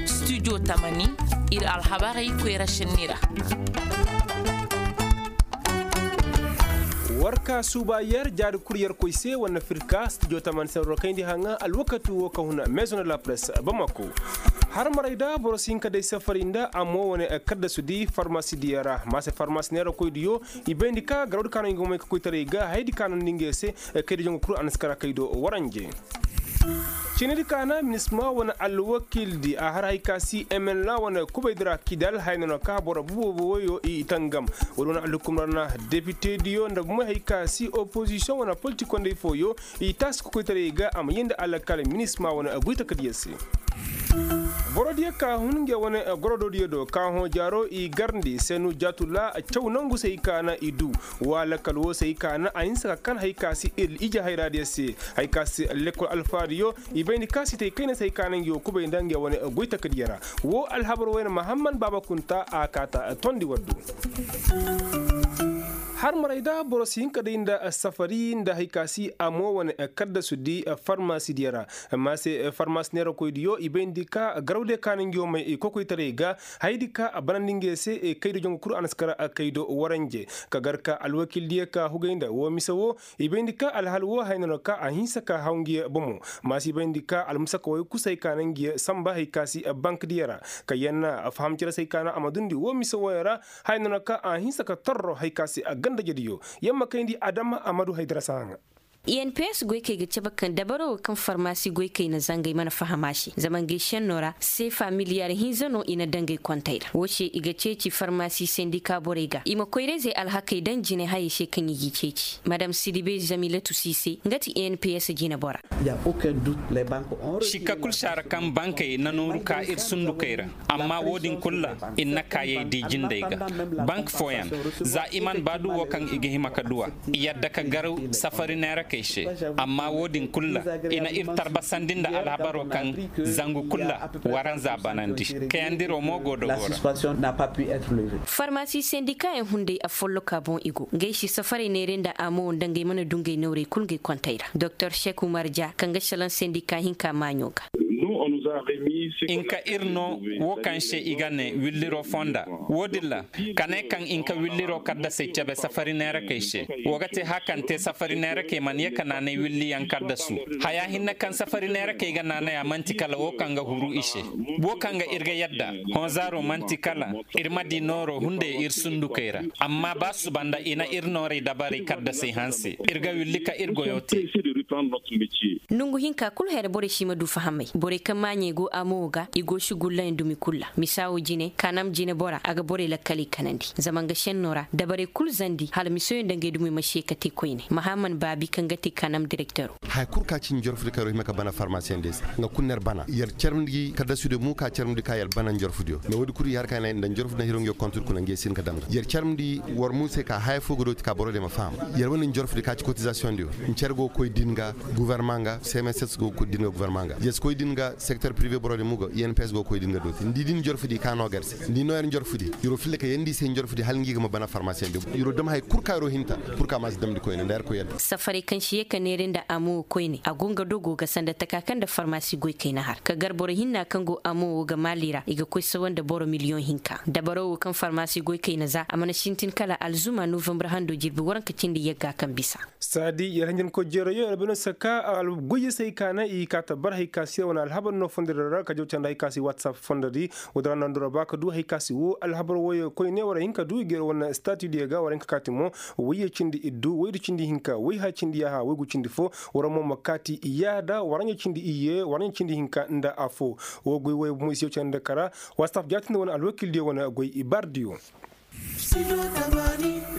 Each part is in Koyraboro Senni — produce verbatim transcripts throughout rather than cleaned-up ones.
Studio tamani, ir alhabarey koyra šenni ra. War ka suuba yer jaari kul yer koy se wane firka studio tamani se war kayndi haŋa alwakati wo ka huna maison de la presse bamako. Har maray da boro si hin ka day safari nda amo wane kaddasu di farmasi diya ra ma se farmasi neera koy diyo. I bayndi ka garawdi ka no nga may ka koytaray ga haydi ka no ndi nga se. Kaydi jongo kul a na si kara kaydo waranje. Cinidi kaana minisma wane alwakildi a har hay ka si mnla wane kubaydi ra kidal hay no na ka boro boobo woyo i tangam. Wala wane alhukumra na depitediyo nda bumey hay ka si opozisiyoŋ wane politikondey fooyo i taasi kokoytaray ga a ma yee nda alakal minisma wane goytakadiyo se. Borodiyo ka hun nge wane gorodoodiyo do ka hõ jaaro i garndi senu jaatula caw nangu se hay ka na i du. Wala kala woo se hay ka na a hinsa ka kan hay ka si ir ije hayraadiyo se. Hay ka si lekkol alfaadiyo i bayndi ka si te kayna se hay ka na ngi woo kubay nda ngi wane goytakadiyo ra. Woo alhabar wayna mahamman baaba kunta a kaata tondi waddu. Har maray da boro si hin ka day nda safari nda hay ka si a mo wane kaddasu di farmasidiyo ra. Amma se farmasi neerakoydiyo i bayndi ka garawdiyo ka na ngi woo may kokoytaray ga haydi ka a banandi ngi se. Kaydo jongu kul a na si kara kaydo waranje ka gar ka alwakildiyo ka hugay nda woo mise woo. I bayndi ka alhal woo haya no na ka a hinsa ka haw ngi bomo. Maasi i bayndi ka almusaka wooyo kul se hay ka na ngi samba hay ka si bankdiyo ra. Ka yer na faham cere se hay ka na a ma dundi woo mise wooyo ra. Haya no na ka a hinsa ka torro hay ka si a gandajediyo. Yer ma kayndi adama a ma du hay darasa haŋa. I n p s goykey ga cabe kaŋ dabaro wo kaŋ farmasi goykey na zangay mana faham a se zama ngey šenno ra seefa miliyaar hinza no i na daŋ ngey kontey ra woo se i ga ceeci farmasi sendika borey ga i ma koyra-izey alhakey daŋ jinehayey se kaŋ i g'i ceeci madam sidibe zamilatu siise nga ti i n p s jinebora. Sikka kul saara kaŋ bankey na nooru ka ir sundukey ra. Amma wo-din kul ra ir na kaayey di jindey ga. Bank fooyaŋ za i man ba du wo kaŋ i ga hima ka du a i yadda ka garaw safari neerakey se. Amma wo-din kul ra i na ir tarbasandi nda alhabaro kaŋ zangu kul ra waranza banandi kayandiro mo go do wo ra. Farmasi sendikayaŋ hunday afolloka boŋ i go ngey si safarey neeray nda amo nda ngey mana du ngey nawrey kul ngey kontey ra doktor sek umar ja kaŋ ga salaŋ sendika hinka maaɲo ga. Inka ir no wo kaŋ se i ga ne williro fonda. Wo-din ra ka ne kaŋ inka williro kaddasey cabe safari neerakey se. Wo ga te haya kaŋ te safari neerakey mana ye ka naanay williyaŋ kaddasu. Haya hinne kaŋ safari neerakey ga naanay a man'ti kala wo kaŋ ga huru i se. Wo kaŋ ga ir ga yadda honzaaro man'ti kala ir ma di nooro hunday ir sundukey ra. Amma ba suba nda i na ir noorey dabarey kaddasey hanse ir ga willi ka ir goyo te. Nongu hinka kul hayra borey si ma du fahamey borey kaŋ maaɲey go amo wo ga i go sugullayaŋ dumi kul ra misa wo jine kaanam jinebora a ga borey lakkaley kanandi zama nga šenno ra dabarey kul zandi hala misoyaŋ nda ngey dumey ma si ye ka te koyne mahamman baabi kaŋ ga te kaanam direktero. Haya kul ka ci njorfudi kaŋ yer hima ka bana farmasiyaŋ de se nga kul no yer bana yer carmndi kaddasudiyo mo ka carmndi ka yer bana njorfudiyo mais woodi kul i har ka ne nda njorfudi na hiro ngi kontur kuna ngi yer si hin ka dam ga yer carmndi war mu se ka haya fo ga dooti ka boro de ma faham. Yer wane njorfudi ka ci kotizasiyoŋdiyo ncer go koy din ga guvarma nga cmss go koy din ga guvarma nga yer si koy din ga sekter prive boro de mo go i n p s go koy din ga dooti ni di din njorfudi ka no ga yer se ni di no yer njorfudi. Yer wo filla ka yeendi i se njorfudi hala ngi ga ma bana farmasiyaŋdiyo yer wo dam haya kul ka yer wo hinta. Pur ka ma si damndi koyne nda yer koy yadda. Safarey kaŋ si ye ka neera nda amo wo koyne a go nga dogo ga sanda taka kaŋ nda farmasi goy kayna har ka gar boro hinna kaŋ go amo wo ga maali ra i ga koy sawa nda boro miliyoŋ hinka dabaro wo kaŋ farmasi goy kayna za a mana sintin kala alzuma novambar hando jirbi waranka cindi yagga kaŋ bisa. Saadi yer hanjankoy jeerayo yer beno saka goyye se hay ka na i ka ta bar hay ka si yer wane alhabar no fondodi ra ka jaw canda hay ka si watsap fondodi. Wo-din ra nandura ba ka du hay ka si wo alhabar woyo koyne war hin ka du i ga yer wane statidiyo ga war hin ka kaati mo. Woyye cindi iddu woydu cindi hinka woyha cindi yaaha woygu cindi fo. War mo ma kaati i yaada waranja cindi iyye waranja cindi hinka nda afo. Wo goy woyo bomo i si yaw candi nda kara. Watsap jaatindi wane alwakildiyo wane goy ibardiyo.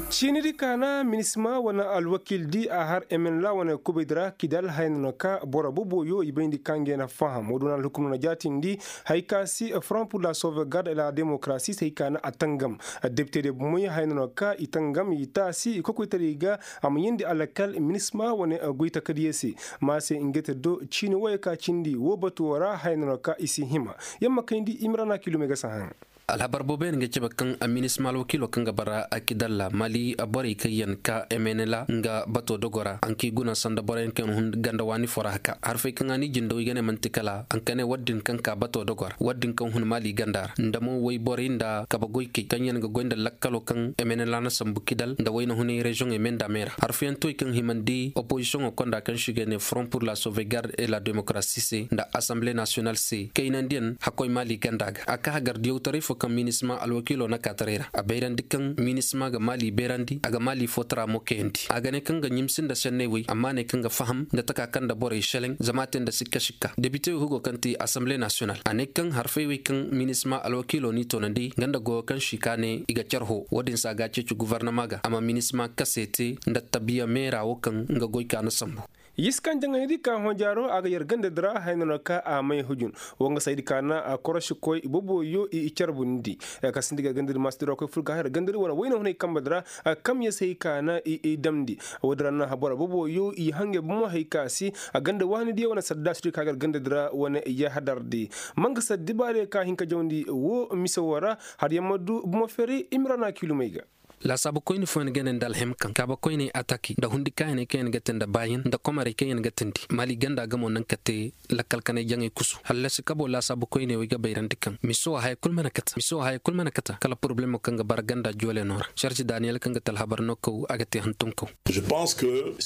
Ciinidi kaana minisma wane alwakildi a har emenla wane kubaydi ra kidal haya no na ka boro boboyo i bayndi ka ngey na faham wo-din wane alhukum no na jaatindi. Hay ka si front pur la sauvegarde et la démocratie se hay ka na a tangam. Depitediyo bomoy haya no na ka i tangam i taasi i kokoytaray ga. A ma yeendi alakal minisma wane goytakadiyo se. Ma se ngey te do ciini woyo ka cindi woo batuwo ra haya no na ka i si hima. Yer ma kayndi i ma ra na kilumey ga si haŋ. Alhabar booboyaŋ ga cabe kaŋ a minisma alwakiilo kaŋ ga bara a kidalla mali borey kaŋ yaŋ ka emenela nga bato dogo ra a nki guna sanda boroyaŋ kaŋ yaŋ hun ganda waani fo ra haka harfey kaŋ a ni jindawey ga ne manti kala a nka ne war din kaŋ ka bato dogo ra war din kaŋ hun mali ganda ra nda mo wayborey nda kabe goykey kaŋ yaŋ ga goy nda lakkalo kaŋ emenela na sambu kidal nda wayna hunay reziyoŋey me nda me ra harfeyaŋ toy kaŋ himandi opozisiyoŋo konda kaŋ se i ga ne front pur la sauvegarde et la démocratie se nda asamble nasiyonal se kaynandiyaŋ hakkoy mali ganda ga a ka hagar diyawtaray fo kaŋ minisma alwakiilo na kaataray ra a bayrandi kaŋ minisma ga mali bayrandi a ga mali fo tara mo kayandi a ga ne kaŋ ga ɲimsi nda senney wey amma ne kaŋ ga faham nda taka kaŋ nda borey seleŋ zama a te nda sikka sikka depitewey hugo kaŋ ti asamble nasiyonal a ne kaŋ harfey wey kaŋ minisma alwakiilo n'i toonandi nga nda goyo kaŋ si ka ne i ga carho wo-din se a ga a ceeci gofornama ga a ma minisma kase te nda tabiya meera wo kaŋ nga goy ka na sambu. Yiskan jaŋaydi ka hõ jaaro a ga yer ganda di ra haya no na ka a may hujun. Wo nga saydi ka na a korosi koy boboyo i carbundi. Ka sindi ga ganda di maasi dira koy fur ka haya ganda di wane wayna hunay kamba di ra. Kam ya say ka na i damndi. Wo di ra na habora boboyo i hangay bomo hay ka si a ganda waani diya wane sadda si di ka gar ganda di ra wane yahadar di. Manga saddi baale ka hin ka jawndi wo mise wo ra. Har yamma du bomo feri imira na kilumay ga. Laasaabu koyne fooyaŋ ga ne nda alhim kaŋ kaaba koyney ataki nda hundi kaayaney kaŋ yaŋ ga te nda baayan nda komarey kaŋ yaŋ ga tindi maali ganda ga mo naŋ ka te lakkal kanay jaŋay kusu hallasi kabo laasaabu koyney wey ga bayrandi kaŋ miso haya kul mana kata miso haya kul mana kata kala poroblemo kaŋ ga bara ganda joole no ra sarci daniyel kaŋ ga te alhabar no kaw a ga te hantum kaw.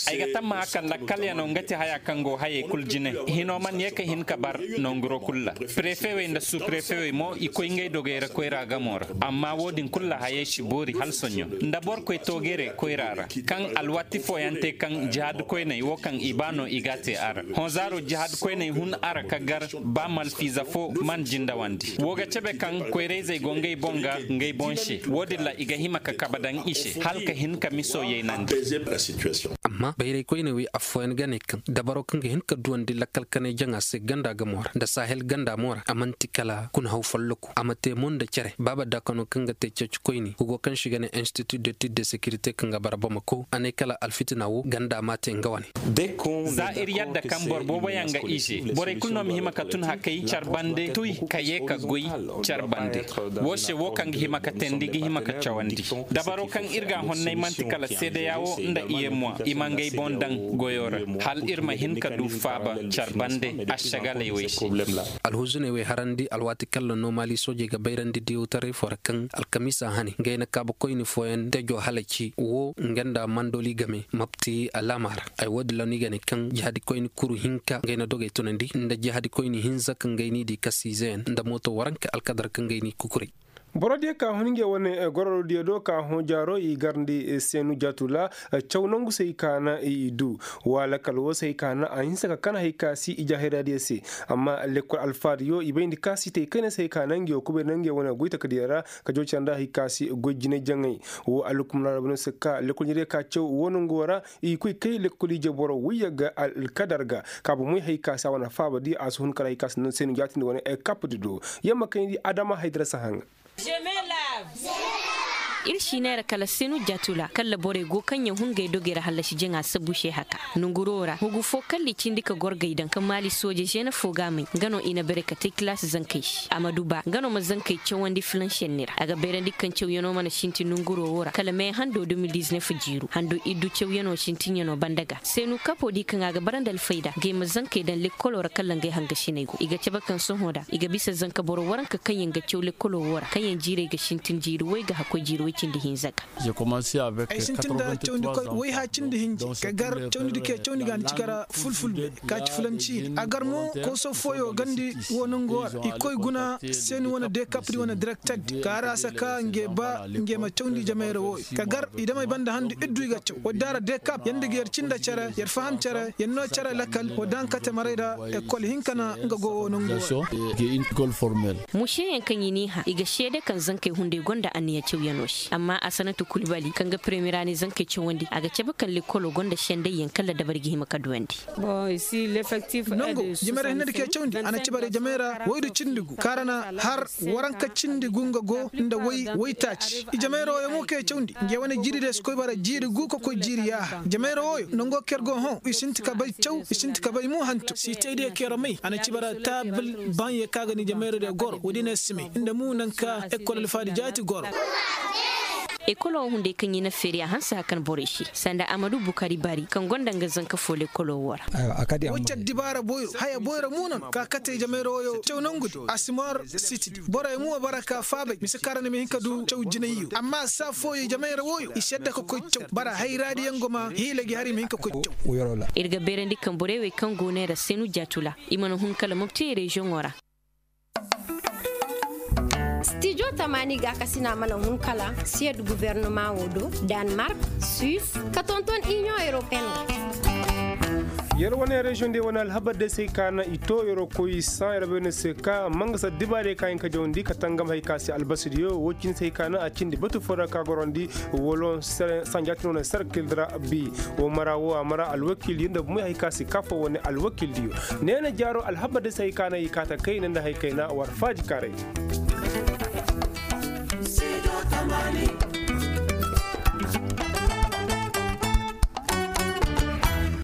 Ay ga tammaha kaŋ lakkalyanoo nga ti haya kaŋ go hayey kul jine. Hinoo man ye ka hin ka bar nonguro kul ra. Prefewey nda suprefewey mo i koy ngey dogey ra koyra gamo ra. Amma wo-din kul ra hayey si boori hala soɲõ nda boro koy toogere koyra ra kaŋ alwaati fooyaŋ te kaŋ jihaad koyney wo kaŋ i ba no i g'a te a ra. Hõ zaaro jihaad koyney hun a ra ka gar ba malfiiza fo man jindawandi wo ga cabe kaŋ koyrayzey go ngey boŋ ga ngey boŋ se wo-din ra i ga hima ka kabe daŋ i se hala ka hin ka miso yaynandi. Amma bayray koyne wey affooyaŋ ga ne kaŋ dabaro kaŋ ga hin ka duwandi lakkal kanay jaŋa se ganda gamo ra nda sahel ganda mo ra a man'ti kala kuna haw folloku a ma te mo nda cere baaba daakano kaŋ ga te ceeci koyne hugo kaŋ se i ga ne institut de tud de securité kaŋ ga bara bamako a ne kala alfitina wo ganda m'a te nga wane. Za ir yadda kaŋ boro booboyaŋ ga ize borey kulu no ma hima ka tun hakay care bande tuy ka ye ka goy care bande. Wo se wo kaŋ ga hima ka teendi ga hima ka cawandi dabaro kaŋ ir ga a honnay man'ti kala seedeya wo nda iyemuwa i ma ngey boŋ daŋ goyo ra. Hala ir ma hin ka du faaba care bande ašagaley wey se. Alhuzuney wey harandi alwaati kaŋ ra no maali soojey ga bayrandi diyawtaray fo ra kaŋ alkamiisa hane ngey na kaabakoyni fooyaŋ tejo halaci wo nga nda mandoli game mapti alaama ra. Ay wo- din ra no i ga ne kaŋ jihadikoyni kuru hinka ngey na dogey tunandi nda jihadikoyni hinza kaŋ ngey n'i di kasiizeyaŋ nda mooto waranka alkadar kaŋ ngey n'i kukuray. Boro diyo ka hun ngey wane gororo diyo do ka hõ jaaro i garndi seenu jaatu ra. Caw nangu se i ka na i du wa lakal wo se i ka na a hinsa ka kan hay ka si i jaahira diyo se. Amma lekkol alfaadiyo i bayndi ka si te i kayna se i ka na ngey wo kubay na ngey wane goy takadiyo ra ka jaw care nda hay ka si goy jine jaŋay. Wo alhukumna ra bano se ka lekkol ɲiriyo ka caw wo nangu wo ra. I koy kay lekkol ije boro wayya ga alkadar ga ka ba moy hay ka si a wane faaba di a si hun kala hay ka si seenu jaatindi wane kap di do. Yamma kayndi adama haydara si haŋa. Ir si neera kala senu jatula kala borey go kaŋ yaŋ hun gay dogey ra hallasi jaŋa sabu se haka. Nonguro ra hugu fo kala i cindi ka gorgey daŋ ka maali sooje zene fo ga may nga no i na bare ka te kilaasi zankey se a ma du ba nga no ma zankey cawandi filansenni ra a ga bayrandi kaŋ cawyano mana sintin nonguro wo ra kala me hando de mil diznef jiiru hando iddu cawyano sintinyano banda ga senu kapo di kaŋ a ga bara nda alfayda ngey ma zankey daŋ lekkolo ra kala ngey hangasiney go i ga cabe kaŋ sohõ da i ga bisa zanka boro waranka kaŋ yaŋ ga caw lekkolo wo ra kaŋ yaŋ jiirey ga sintin jiiri way ga hakkoy jiiri way cindi hinza ga. Ay sintin nda cawndi koy wayha cindi hinji ka gar cawndi dike cawndi ga ni ci kara fulfulbe ka ci fulanci iri a gar mo kooso fooyo gandi wo nangu wo ra i koy guna seeni wane dekapri wane direktagdi ka har a saka nge ba nge ma cawndi jamayra wo ka gar i damey banda handu iddu i ga caw wadda ra dekap yanda ga yer cinda care yer faham care yer no care lakal wadda haŋ ka te maray ra ekol hinka na nga go wo nangu wo ra. Museyaŋ kaŋ i n'i hã i ga seede kaŋ zankey hunday gonda anniya cawyano se. Amma asanatu kulbali kaŋ ga premira ni zankey cawandi a ga cabe kaŋ lekkolo gonda sendayyaŋ kaŋ la dabari ga hima ka duwandi. Nangu, jamayroo hinne da ke cawandi a na ci bare jamayroo woy du cindi gu kaŋ ra na har waranka cindi gu nga go nda woy woy taaci. Jamayroo wooyo mo kaŋ ye cawandi ngey wane jiiri day si koy bara jiiri gu ka koy jiiri yaaha jamayroo wooyo nango kaŋ yer go hõ i sinti ka bay caw i sinti ka bay mo hantum si tey diyo kaŋ yer may a na ci bara taabil baŋ ye kaŋ a ga ni jamayroo diyo goro woodi ne simey nda mo naŋ ka ekkol alfaadi jaati goro. Ekolo wo hunday kaŋ i na feeri a hanse hakan borey se sanda amadu bukari bari kaŋ gonda nga zanka fo lekolo wo ra. Wacce dibaara boyro haya boyro mo no ka kate jamayra woyo caw nangudi a si mor sitidi borey mo bara ka faabay mise kaŋ ra ni ma hin ka du caw jinayyo amma saa fooyo jamayra woyo i sedda ka koy caw bara hayraadiyaŋ go ma hiila gi har i ma hin ka koy caw. Ir ga beerandi kaŋ borey wey kaŋ go neera senu jaatula i mana hun kala mopti reziyoŋo ra. Stijo tamaani gaakasina mana hun kala siyed guvernama wo do, danmark, suis, ka tonton iniyoŋ europeen. Yer wane reziyoŋ de wane alhabar de se ka na i to yeroo koy saŋ yer bay ne se ka mangasa dibaarey ka hin ka jawandi ka tangam hay ka se albasidiyo wo cindi se hay ka na a cindi batu fo ra ka gorandi woloŋ sanja tino ne serkil ra. Bi wo mara wo a mara alwakiiliyo nda bumey hay ka se ka fo wane alwakiiliyo. Neena jaaro alhabar de se hay ka na i kaata kayna nda hay kayna war faaji kaaray.